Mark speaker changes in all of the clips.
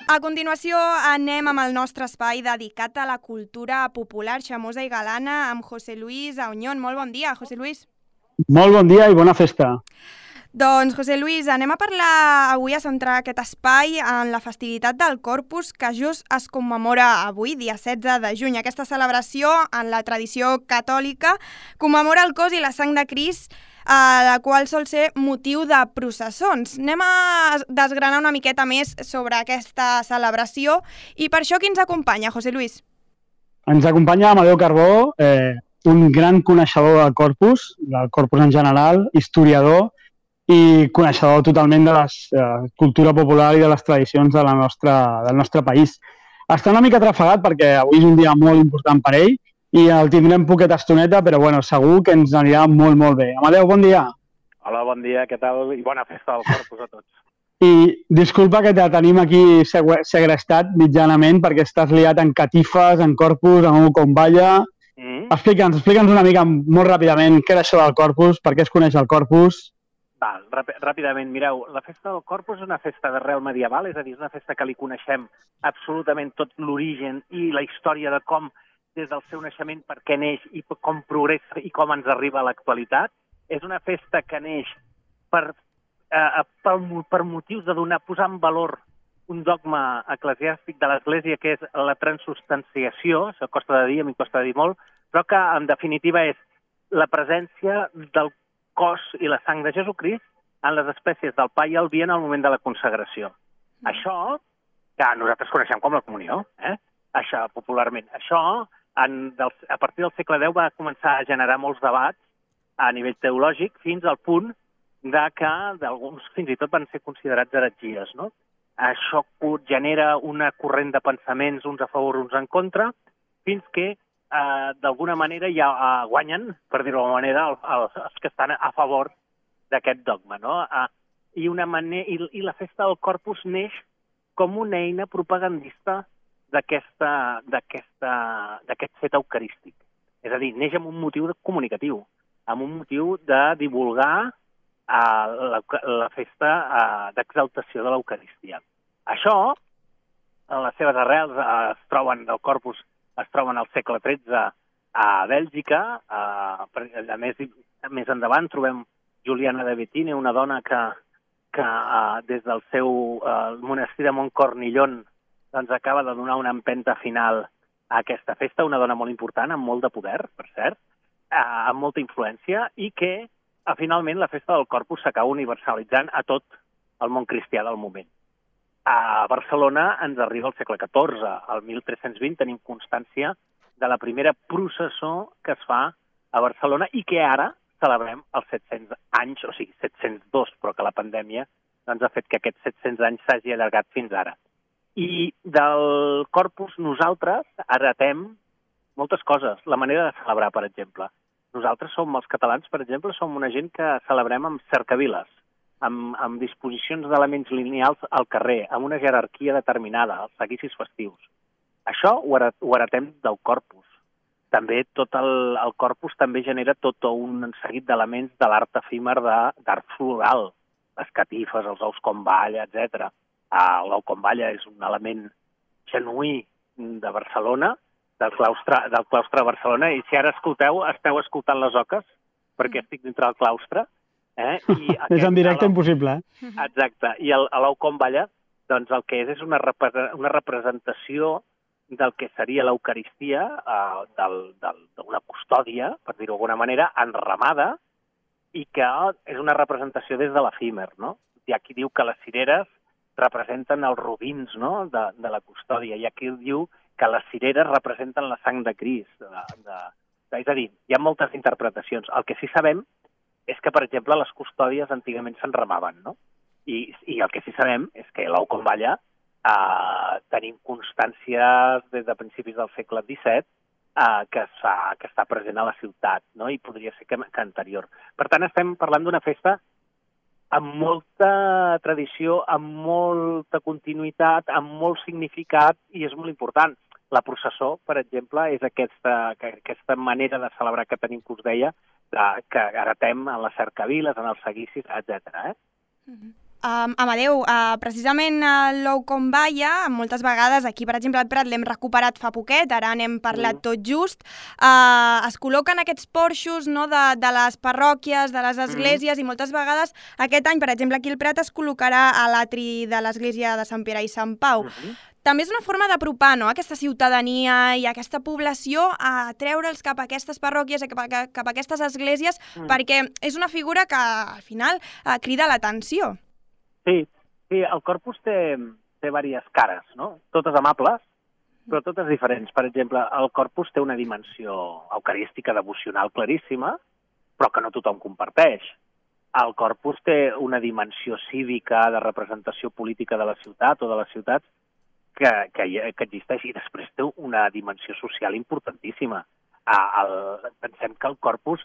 Speaker 1: A continuació anem amb el nostre espai dedicat a la cultura popular xamosa i galana amb José Luis Auñón. Molt bon dia, José Luis.
Speaker 2: Molt bon dia i bona festa.
Speaker 1: Doncs, José Luis, anem a parlar avui, a centrar aquest espai en la festivitat del Corpus, que just es commemora avui, dia 16 de juny. Aquesta celebració, en la tradició catòlica, commemora el cos i la sang de Crist, la qual sol ser motiu de processons. Anem a desgranar una miqueta més sobre aquesta celebració i per això qui ens acompanya, José Luis?
Speaker 2: Ens acompanya Amadeu Carbó, un gran coneixedor del Corpus en general, historiador i coneixedor totalment de la cultura popular i de les tradicions del nostre país. Està una mica atrafegat perquè avui és un dia molt important per ell i el tindrem poqueta estoneta, però bueno, segur que ens anirà molt, molt bé. Amadeu, bon dia.
Speaker 3: Hola, bon dia, què tal? I bona festa del Corpus a tots.
Speaker 2: I disculpa que te tenim aquí segrestat mitjanament perquè estàs liat en catifes, en Corpus, en un comballa. Explica'ns una mica molt ràpidament què és això del Corpus, per què es coneix el Corpus.
Speaker 3: Ràpidament, mireu, la festa del Corpus és una festa d'arrel medieval, és a dir, és una festa que li coneixem absolutament tot l'origen i la història de com, des del seu naixement, per què neix i com progressa i com ens arriba a l'actualitat. És una festa que neix per motius de posar en valor un dogma eclesiàstic de l'Església, que és la transubstanciació, això costa de dir, a mi costa de dir molt, però que, en definitiva, és la presència del cos i la sang de Jesucrist en les espècies del pa i el vi en el moment de la consagració. Això, que nosaltres coneixem com la comunió, això popularment, això a partir del segle X va començar a generar molts debats a nivell teològic fins al punt que alguns fins i tot van ser considerats heretgies, no? Això genera una corrent de pensaments, uns a favor, uns en contra, fins que d'alguna manera ja guanyen, per dir-ho d'alguna manera, els que estan a favor d'aquest dogma, no? I la festa del Corpus neix com una eina propagandista d'aquest fet eucarístic. És a dir, neix amb un motiu comunicatiu, amb un motiu de divulgar la festa d'exaltació de l'Eucaristia. Això, les seves arrels del Corpus es troben al segle XIII a Bèlgica. Més endavant trobem Juliana de Béthune, una dona que des del seu monestir de Montcornillon acaba de donar una empenta final a aquesta festa, una dona molt important, amb molt de poder, per cert, amb molta influència, i que finalment la festa del Corpus s'acaba universalitzant a tot el món cristià del moment. A Barcelona ens arriba al segle XIV. Al 1320 tenim constància de la primera processó que es fa a Barcelona i que ara celebrem els 700 anys, o sigui, 702, però que la pandèmia ha fet que aquests 700 anys s'hagi allargat fins ara. I del Corpus nosaltres heretem moltes coses. La manera de celebrar, per exemple. Nosaltres els catalans, per exemple, som una gent que celebrem amb cercaviles, amb disposicions d'elements lineals al carrer, amb una jerarquia determinada, els seguicis festius. Això ho heretem del Corpus. També tot el Corpus també genera tot un seguit d'elements de l'art efímer d'art floral, les catifes, els ous com balla, etc. L'ou com balla és un element genuí de Barcelona, del claustre de Barcelona, i si ara esteu escoltant les oques, perquè estic dintre del claustre.
Speaker 2: És en directe impossible.
Speaker 3: Exacte. I l'ou com balla, doncs el que és una representació del que seria l'Eucaristia, d'una custòdia, per dir-ho d'alguna manera, enramada, i que és una representació des de l'efímer, no? Hi ha qui diu que les cireres representen els robins, no?, de la custòdia. Hi ha qui diu que les cireres representen la sang de Crist. És a dir, hi ha moltes interpretacions. El que sí sabem és que, per exemple, les custòdies antigament s'enramaven, no? I el que sí sabem és que l'ou com balla tenim constàncies des de principis del segle XVII que està present a la ciutat, no? I podria ser que anterior. Per tant, estem parlant d'una festa amb molta tradició, amb molta continuïtat, amb molt significat, i és molt important. La processó, per exemple, és aquesta manera de celebrar que tenim, que us deia, que heretem en les cercaviles, en els seguicis, etc.
Speaker 1: Amadeu, precisament l'Oukombaya, moltes vegades, aquí per exemple al Prat l'hem recuperat fa poquet, ara n'hem parlat tot just, es col·loquen aquests porxos, no, de les parròquies, de les esglésies, i moltes vegades aquest any, per exemple, aquí al Prat es col·locarà a l'atri de l'església de Sant Pere i Sant Pau. També és una forma d'apropar, no?, aquesta ciutadania i aquesta població a treure'ls cap a aquestes parròquies, cap a aquestes esglésies, perquè és una figura que al final crida l'atenció.
Speaker 3: Sí, el Corpus té diverses cares, no? Totes amables, però totes diferents. Per exemple, el Corpus té una dimensió eucarística, devocional claríssima, però que no tothom comparteix. El Corpus té una dimensió cívica, de representació política de la ciutat o de les ciutats que existeix, i després té una dimensió social importantíssima. Pensem que el Corpus,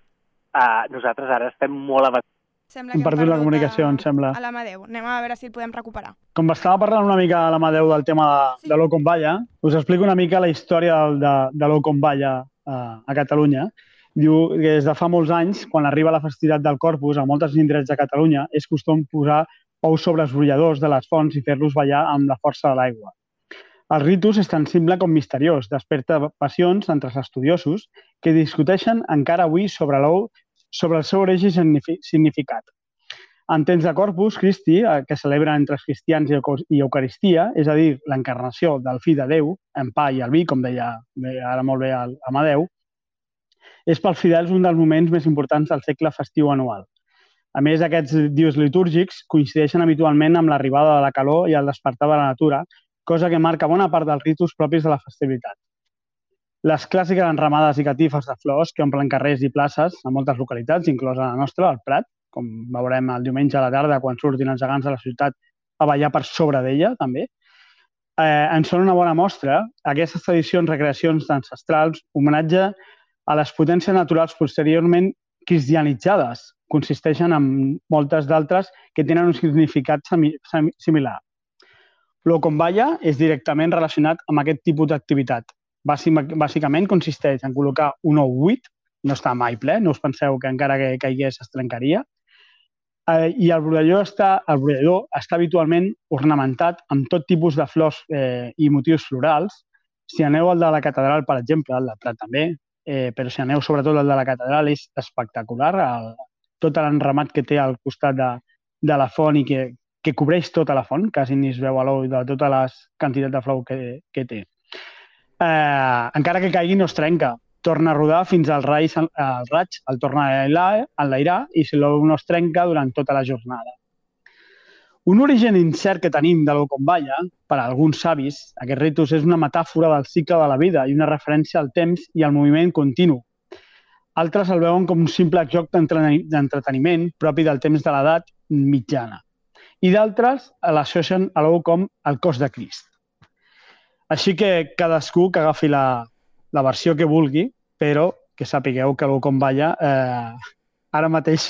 Speaker 3: nosaltres ara estem molt avançats.
Speaker 1: Sembla que hem
Speaker 2: perdut la comunicació, em sembla.
Speaker 1: A l'Amadeu. Anem a veure si el podem recuperar.
Speaker 2: Com estava parlant una mica l'Amadeu del tema de l'Oukombaya, us explico una mica la història de l'Oukombaya a Catalunya. Diu que des de fa molts anys, quan arriba la festivitat del Corpus, a molts indrets de Catalunya, és costum posar ous sobre els brolladors de les fonts i fer-los ballar amb la força de l'aigua. El ritus és tan simple com misteriós, desperta passions entre els estudiosos que discuteixen encara avui sobre l'ou, sobre el seu origen i significat. En temps de Corpus Christi, que celebra entre els cristians i Eucaristia, és a dir, l'encarnació del Fill de Déu, en pa i el vi, com deia ara molt bé Amadeu, és pels fidels un dels moments més importants del segle festiu anual. A més, aquests dies litúrgics coincideixen habitualment amb l'arribada de la calor i el despertar de la natura, cosa que marca bona part dels ritus propis de la festivitat. Les clàssiques enramades i catifes de flors que omplen carrers i places a moltes localitats, inclosa la nostra, el Prat, com veurem el diumenge a la tarda quan surtin els gegants de la ciutat a ballar per sobre d'ella, també, en són una bona mostra. Aquestes tradicions, recreacions ancestrals, homenatge a les potències naturals posteriorment cristianitzades, consisteixen en moltes d'altres que tenen un significat similar. L'Oukombaya és directament relacionat amb aquest tipus d'activitat. Bàsicament consisteix en col·locar un ou buit, no està mai ple, no us penseu que encara que caigués es trencaria, i el brollador està habitualment ornamentat amb tot tipus de flors i motius florals. Si aneu al de la catedral, per exemple, el del Prat també, però si aneu sobretot al de la catedral és espectacular, tot l'enramat que té al costat de la font i que cobreix tota la font, quasi ni es veu a l'ou de tota la quantitat de flor que té. Encara que caigui no es trenca, torna a rodar fins al raig el torna a enlairar i si l'ou no es trenca durant tota la jornada. Un origen incert que tenim de l'Oukombaya, per a alguns savis, aquest ritus és una metàfora del cicle de la vida i una referència al temps i al moviment continu. Altres el veuen com un simple joc d'entreteniment propi del temps de l'edat mitjana. I d'altres l'associen a l'ou com el cos de Crist. Així que cadascú que agafi la versió que vulgui, però que sapigueu que l'Oukombaya ara mateix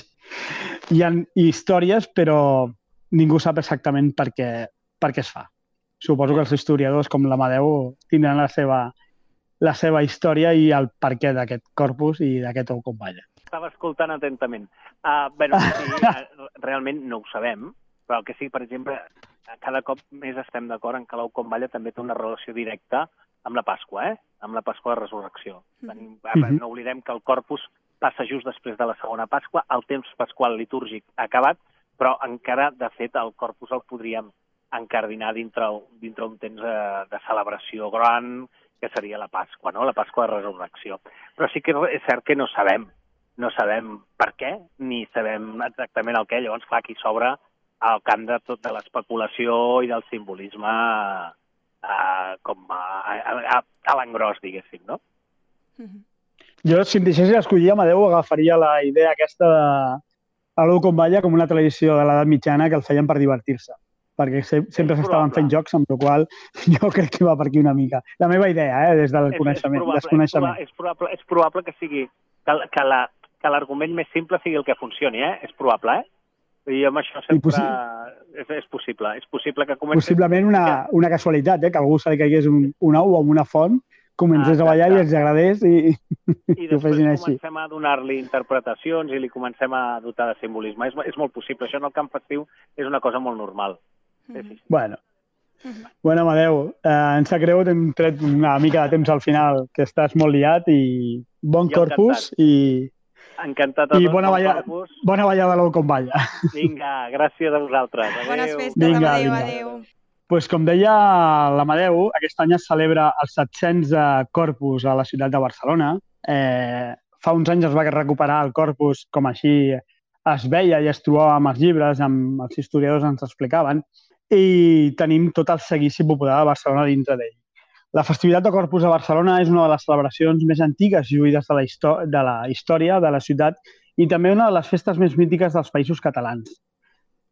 Speaker 2: hi ha històries, però ningú sap exactament per què es fa. Suposo que els historiadors com l'Amadeu tindran la seva història i el perquè d'aquest corpus i d'aquest Oukombaya.
Speaker 3: Estava escoltant atentament. Sí, realment no ho sabem, però el que sí, per exemple, cada cop més estem d'acord en que l'Oukombaya també té una relació directa amb la Pasqua, amb la Pasqua de Resurrecció. No oblidem que el Corpus passa just després de la segona Pasqua, el temps pasqual litúrgic ha acabat, però encara, de fet, el Corpus el podríem encardinar dintre un temps de celebració gran, que seria la Pasqua, no? La Pasqua de Resurrecció. Però sí que és cert que no sabem per què, ni sabem exactament el què. Llavors, clar, aquí s'obre al camp de tota l'especulació i del simbolisme com a l'engròs, diguéssim, no?
Speaker 2: Jo, si em deixés escollir, Amadeu, agafaria la idea aquesta de l'Oukombaya com una tradició de l'edat mitjana que el feien per divertir-se, perquè sempre s'estaven fent jocs, amb la qual jo crec que va per aquí una mica. La meva idea, des del desconeixement.
Speaker 3: És probable que sigui que l'argument més simple sigui el que funcioni, és probable, I amb això sempre és possible. És possible que comenci...
Speaker 2: Possiblement una casualitat, que algú se li caigués un ou amb una font, comencés a ballar i els agradés i
Speaker 3: I
Speaker 2: ho fessin
Speaker 3: després
Speaker 2: així.
Speaker 3: comencem a donar-li interpretacions i li comencem a dotar de simbolisme. És molt possible. Això en el camp festiu és una cosa molt normal. Sí.
Speaker 2: Bueno, Amadeu, em sap greu, t'hem tret una mica de temps al final, que estàs molt liat i bon Corpus i
Speaker 3: encantat a tots,
Speaker 2: bona ballada l'ou com balla.
Speaker 3: Vinga, gràcies a vosaltres. Adéu.
Speaker 1: Bones festes, Amadeu, adéu.
Speaker 2: Pues com deia l'Amadeu, aquest any es celebra el 700 Corpus a la ciutat de Barcelona. Fa uns anys es va recuperar el Corpus com així es veia i es trobava amb els llibres, amb els historiadors ens explicaven, i tenim tot el seguici popular de Barcelona dintre d'ell. La festivitat de Corpus a Barcelona és una de les celebracions més antigues i lluïdes de la història de la ciutat i també una de les festes més mítiques dels països catalans.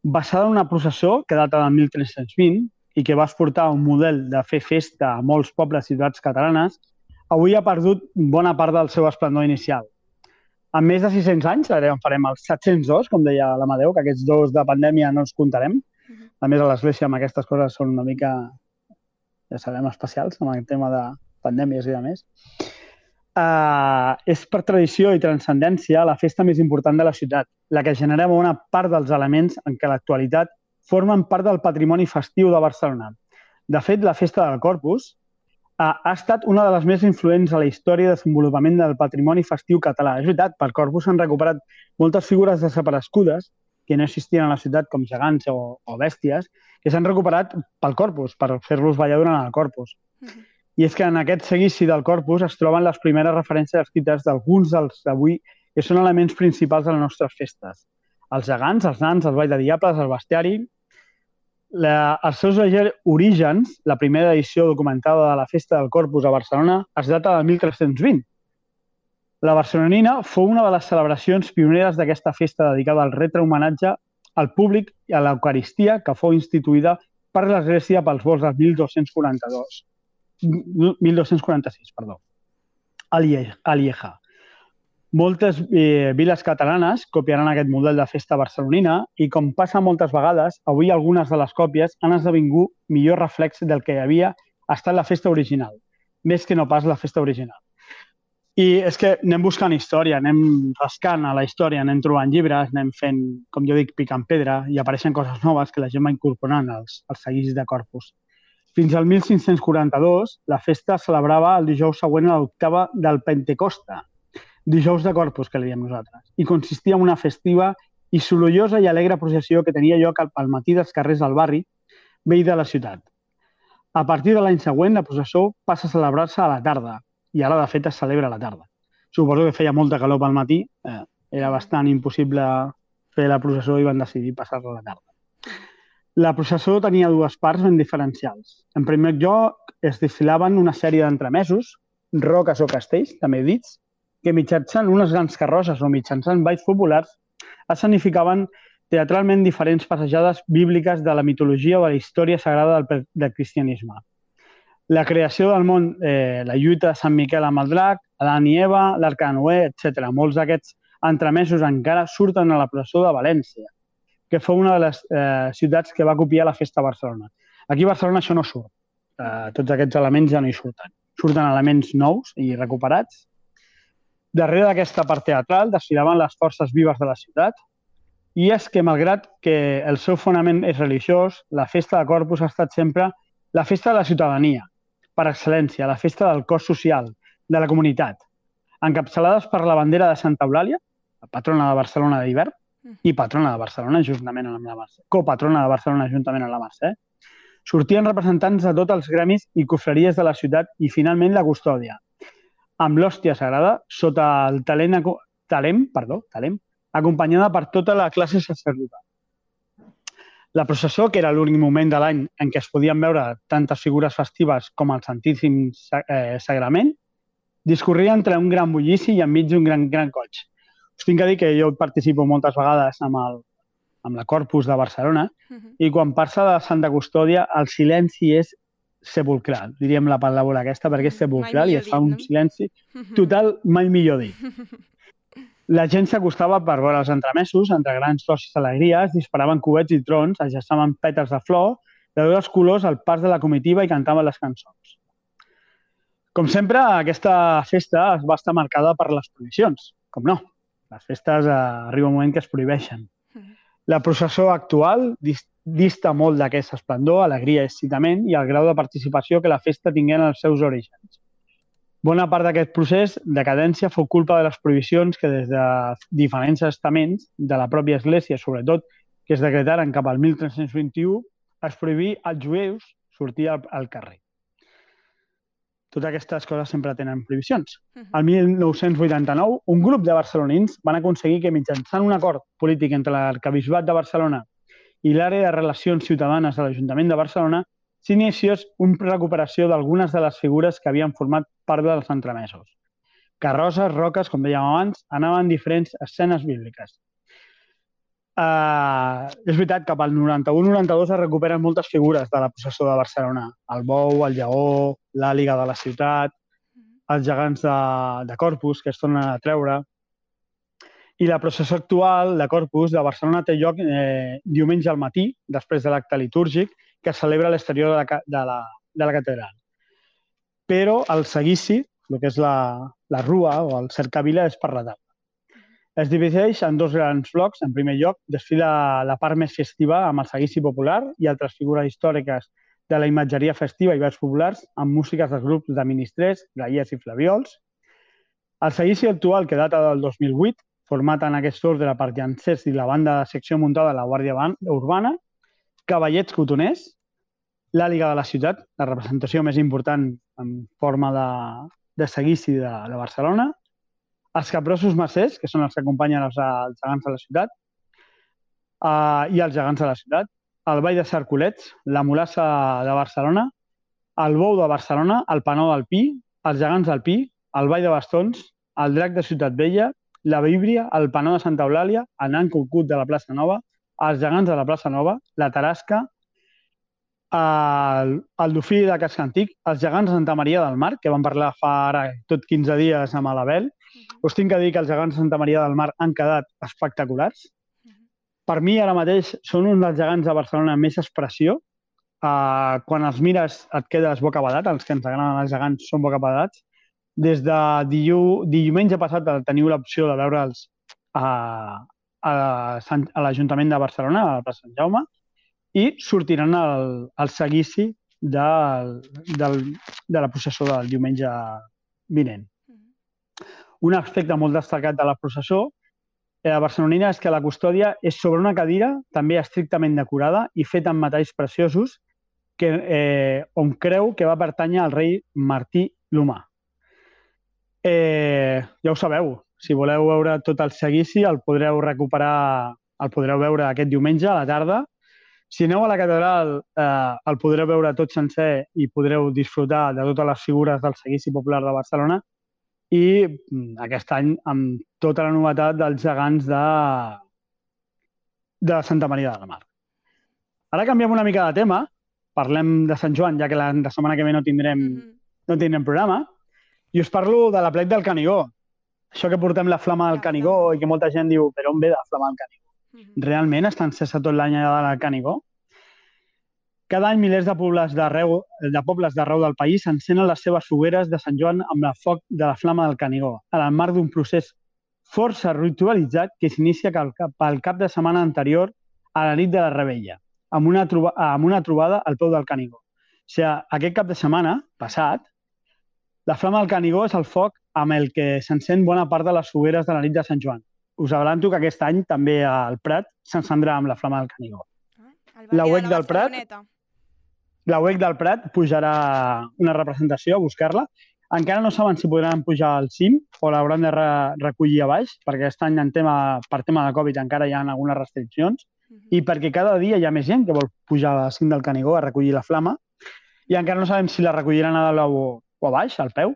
Speaker 2: Basada en una processó que data del 1320 i que va exportar un model de fer festa a molts pobles i ciutats catalanes, avui ha perdut bona part del seu esplendor inicial. En més de 600 anys, ara en farem els 702, com deia l'Amadeu, que aquests dos de pandèmia no els comptarem. A més, a l'Església amb aquestes coses són una mica, ja sabem, especials, amb el tema de pandèmies i de més. És per tradició i transcendència la festa més important de la ciutat, la que genera bona part dels elements en què l'actualitat formen part del patrimoni festiu de Barcelona. De fet, la festa del Corpus ha estat una de les més influents a la història de desenvolupament del patrimoni festiu català. És veritat, per Corpus s'han recuperat moltes figures desaparegudes que no existien a la ciutat, com gegants o bèsties, que s'han recuperat pel Corpus, per fer-los ballar durant el Corpus. I és que en aquest seguici del Corpus es troben les primeres referències escrites d'alguns dels d'avui que són elements principals de les nostres festes. Els gegants, els nans, el ball de diables, el bestiari. Els seus orígens, la primera edició documentada de la Festa del Corpus a Barcelona, es data del 1320. La barcelonina fou una de les celebracions pioneres d'aquesta festa dedicada al retre homenatge al públic i a l'Eucaristia que fou instituïda per l'Església pels vols del 1246, a Lieja. Moltes viles catalanes copiaran aquest model de festa barcelonina i, com passa moltes vegades, avui algunes de les còpies han esdevingut millor reflex del que havia estat la festa original, més que no pas la festa original. I és que anem buscant història, anem rascant a la història, anem trobant llibres, anem fent, com jo dic, picant pedra i apareixen coses noves que la gent va incorporant als seguicis de Corpus. Fins al 1542, la festa es celebrava el dijous següent a l'octava del Pentecosta, dijous de Corpus, que li diem nosaltres, i consistia en una festiva i sorollosa i alegre processió que tenia lloc al matí dels carrers del barri vell de la ciutat. A partir de l'any següent, la processó passa a celebrar-se a la tarda, i ara, de fet, es celebra a la tarda. Suposo que feia molta calor pel matí, era bastant impossible fer la processó i van decidir passar-la a la tarda. La processó tenia dues parts ben diferencials. En primer lloc, es desfilaven una sèrie d'entremesos, roques o castells, també dits, que mitjançant unes grans carrosses o mitjançant balls populars escenificaven teatralment diferents passejades bíbliques de la mitologia o de la història sagrada del cristianisme. La creació del món, la lluita de Sant Miquel amb el drac, Adán i Eva, l'Arca de Noé, etc. Molts d'aquests entremesos encara surten a la processó de València, que fou una de les ciutats que va copiar la festa a Barcelona. Aquí a Barcelona això no surt. Tots aquests elements ja no hi surten. Surten elements nous i recuperats. Darrere d'aquesta part teatral desfilaven les forces vives de la ciutat i és que, malgrat que el seu fonament és religiós, la festa de Corpus ha estat sempre la festa de la ciutadania, per excel·lència, la festa del cos social, de la comunitat, encapçalades per la bandera de Santa Eulàlia, la patrona de Barcelona d'hivern, i patrona de Barcelona juntament amb la Mercè, copatrona de Barcelona juntament amb la Mercè. Sortien representants de tots els gremis i confraries de la ciutat i, finalment, la custòdia, amb l'hòstia sagrada sota el talem, acompanyada per tota la classe sacerdotal. La processó, que era l'únic moment de l'any en què es podien veure tantes figures festives com el Santíssim Sagrament, discorria entre un gran bullici i enmig d'un gran coll. Us tinc que dir que jo participo moltes vegades amb la Corpus de Barcelona i quan passa de Santa Custòdia el silenci és sepulcral, diríem la paraula aquesta, perquè és sepulcral i es fa un silenci total, mai millor dit. La gent s'acostava per veure els entremesos, entre grans flors i alegries, disparaven cubets i trons, ajaçaven pètals de flor, de tots els colors al pas de la comitiva i cantaven les cançons. Com sempre, aquesta festa es va estar marcada per les prohibicions. Com no, les festes arriba un moment que es prohibeixen. La processó actual dista molt d'aquest esplendor, alegria i excitament i el grau de participació que la festa tingué en els seus orígens. Bona part d'aquest procés de cadència fou culpa de les prohibicions que des de diferents estaments de la pròpia Església, sobretot, que es decretaren cap al 1321, es prohibí als jueus sortir al carrer. Totes aquestes coses sempre tenen prohibicions. Al 1989, un grup de barcelonins van aconseguir que mitjançant un acord polític entre l'Arquebisbat de Barcelona i l'àrea de relacions ciutadanes de l'Ajuntament de Barcelona s'iniciés una recuperació d'algunes de les figures que havien format part dels entremesos. Carrosses, roques, com dèiem abans, anaven diferents escenes bíbliques. És veritat que pel 91-92 es recuperen moltes figures de la processó de Barcelona. El bou, el lleó, l'àliga de la ciutat, els gegants de Corpus, que es tornen a treure. I la processó actual de Corpus de Barcelona té lloc diumenge al matí, després de l'acte litúrgic, que es celebra a l'exterior de la catedral. Però el seguici, el que és la rua o el cercavila, és per la tarda. Es divideix en dos grans blocs. En primer lloc, desfila la part més festiva amb el seguici popular i altres figures històriques de la imatgeria festiva i vers populars amb músiques dels grups de ministrers, gallers i flaviols. El seguici actual, que data del 2008, format en aquest ordre per llancers i la banda de secció muntada de la Guàrdia Urbana, cavallets cotoners, l'àliga de la ciutat, la representació més important en forma de seguici de Barcelona, els capgrossos macers, que són els que acompanyen els gegants de la ciutat, i els gegants de la ciutat, el ball de Cercolets, la mulassa de Barcelona, el bou de Barcelona, el panó del Pi, els gegants del Pi, el ball de bastons, el drac de Ciutat Vella, la víbria, el panó de Santa Eulàlia, el nan cucut de la plaça Nova, els gegants de la plaça Nova, la tarasca, el dofí de Casc Antic, els gegants de Santa Maria del Mar, que vam parlar fa ara tot 15 dies amb l'Abel. Us tinc que dir que els gegants de Santa Maria del Mar han quedat espectaculars. Per mi, ara mateix, són un dels gegants de Barcelona amb més expressió. Quan els mires et quedes bocabadat, els que ens agraden els gegants són bocabadats. Des de diumenge passat teniu l'opció de veure'ls a l'Ajuntament de Barcelona, a la plaça Sant Jaume, i sortiran al seguici de la processó del diumenge vinent. Un aspecte molt destacat de la processó barcelonina és que la custòdia és sobre una cadira també estrictament decorada i feta amb metalls preciosos on creu que va pertànyer al rei Martí l'Humà. Ja ho sabeu, si voleu veure tot el seguici el podreu recuperar, el podreu veure aquest diumenge a la tarda. Si aneu a la catedral el podreu veure tot sencer i podreu disfrutar de totes les figures del seguici popular de Barcelona i aquest any amb tota la novetat dels gegants de Santa Maria del Mar. Ara canviem una mica de tema, parlem de Sant Joan, ja que la setmana que ve no tindrem programa, i us parlo de l'aplec del Canigó. Això que portem la flama del Canigó i que molta gent diu, però on ve la flama del Canigó? Realment està encesa tot l'any allà del Canigó? Cada any milers de pobles d'arreu del país encenen les seves fogueres de Sant Joan amb el foc de la flama del Canigó, en el marc d'un procés força ritualitzat que s'inicia pel cap de setmana anterior a la nit de la Revetlla, amb una trobada al peu del Canigó. O sigui, aquest cap de setmana passat, la flama del Canigó és el foc amb el que s'encén bona part de les fogueres de la nit de Sant Joan. Us avanço que aquest any també al Prat s'encendrà amb la flama del Canigó. La UEC del Prat pujarà una representació a buscar-la. Encara no saben si podran pujar al cim o l'hauran de recollir a baix, perquè aquest any per tema de Covid encara hi ha algunes restriccions i perquè cada dia hi ha més gent que vol pujar al cim del Canigó a recollir la flama i encara no sabem si la recolliran a dalt o a baix, al peu,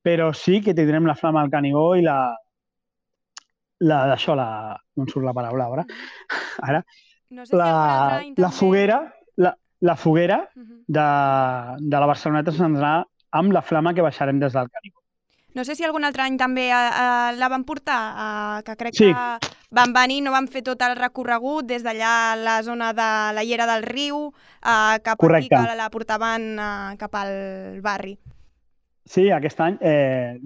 Speaker 2: però sí que tindrem la flama del Canigó i no em surt la paraula ara, la foguera de la Barceloneta s'encendrà amb la flama que baixarem des del Canigó.
Speaker 1: No sé si algun altre any també la van portar, que crec que van venir, no van fer tot el recorregut des d'allà a la zona de la Llera del Riu, cap aquí, que la portaven cap al barri.
Speaker 2: Sí, aquest any,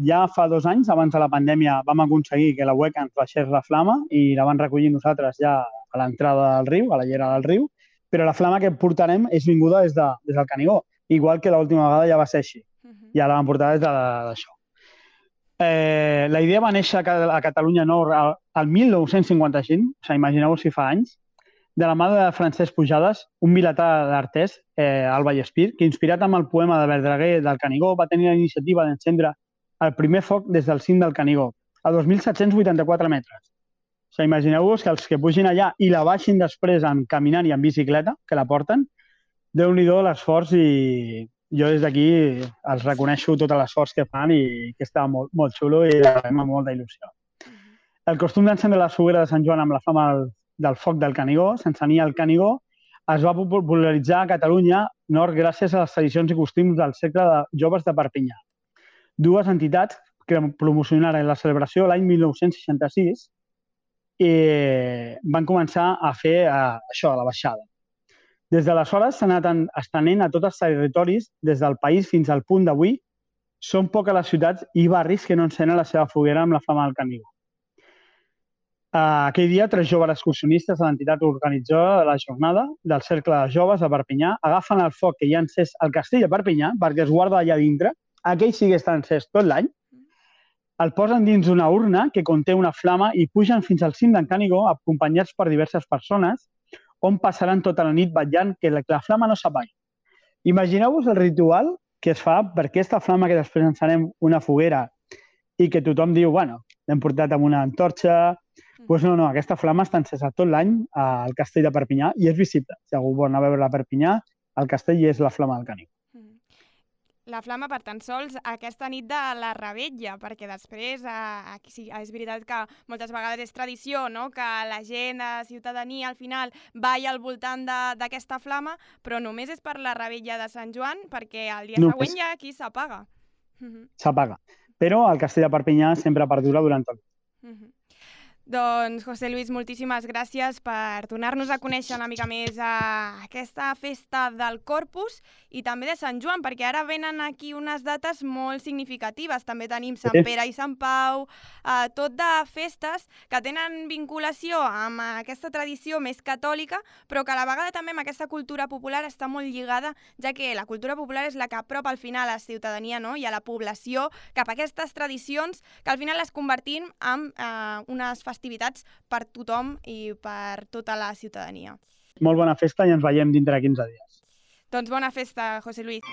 Speaker 2: ja fa 2 anys, abans de la pandèmia, vam aconseguir que la UECA ens baixés la flama i la van recollir nosaltres ja a l'entrada del riu, a la llera del riu, però la flama que portarem és vinguda des del Canigó, igual que l'última vegada ja va ser així. Ja la vam portar des d'això. La idea va néixer a Catalunya Nord al 1955, o sigui, imagineu-vos si fa anys, de la mà de Francesc Pujades, un vilatà d'Artés, al Vallespir, que, inspirat amb el poema de Verdaguer del Canigó, va tenir la iniciativa d'encendre el primer foc des del cim del Canigó, a 2.784 metres. O sigui, imagineu-vos que els que pugin allà i la baixin després caminant i en bicicleta, que la porten, Déu-n'hi-do l'esforç, i jo des d'aquí els reconeixo tot l'esforç que fan i que està molt, molt xulo i la fem amb molta il·lusió. El costum d'encendre la foguera de Sant Joan amb la flama del foc del Canigó, s'encenia el Canigó, es va popularitzar a Catalunya Nord gràcies a les tradicions i costums del Cercle de Joves de Perpinyà. Dues entitats que promocionaren la celebració l'any 1966 i van començar a fer això, a la baixada. Des d'aleshores s'ha anat estenent a tots els territoris des del país fins al punt d'avui. Són poques les ciutats i barris que no encenen la seva foguera amb la flama del Canigó. Aquell dia, 3 joves excursionistes de l'entitat organitzadora de la jornada del Cercle de Joves de Perpinyà agafen el foc que hi ha encès al castell de Perpinyà, perquè es guarda allà dintre, aquell sí que està encès tot l'any, el posen dins d'una urna que conté una flama i pugen fins al cim d'en Canigó acompanyats per diverses persones on passaran tota la nit vetllant que la flama no s'apagui. Imagineu-vos el ritual que es fa per aquesta flama que després encenem una foguera i que tothom diu, bueno, l'hem portat amb una antorxa. Doncs no, aquesta flama està encesa tot l'any al castell de Perpinyà i és visible. Si algú vol anar a veure a Perpinyà, el castell és la flama del Canigó.
Speaker 1: La flama per tan sols aquesta nit de la Revetlla, perquè després sí, és veritat que moltes vegades és tradició, no?, que la gent, la ciutadania, al final balla al voltant d'aquesta flama, però només és per la Revetlla de Sant Joan, perquè el dia següent ja aquí s'apaga.
Speaker 2: S'apaga, però el castell de Perpinyà sempre perdura durant tot.
Speaker 1: Doncs, José Luis, moltíssimes gràcies per donar-nos a conèixer una mica més aquesta festa del Corpus i també de Sant Joan, perquè ara venen aquí unes dates molt significatives. També tenim Sant Pere i Sant Pau, tot de festes que tenen vinculació amb aquesta tradició més catòlica, però que a la vegada també amb aquesta cultura popular està molt lligada, ja que la cultura popular és la que apropa al final a la ciutadania, no?, i a la població cap a aquestes tradicions que al final les convertim en unes festivitats per tothom i per tota la ciutadania.
Speaker 2: Molt bona festa i ens veiem dintre de 15 dies.
Speaker 1: Doncs bona festa, José Luis.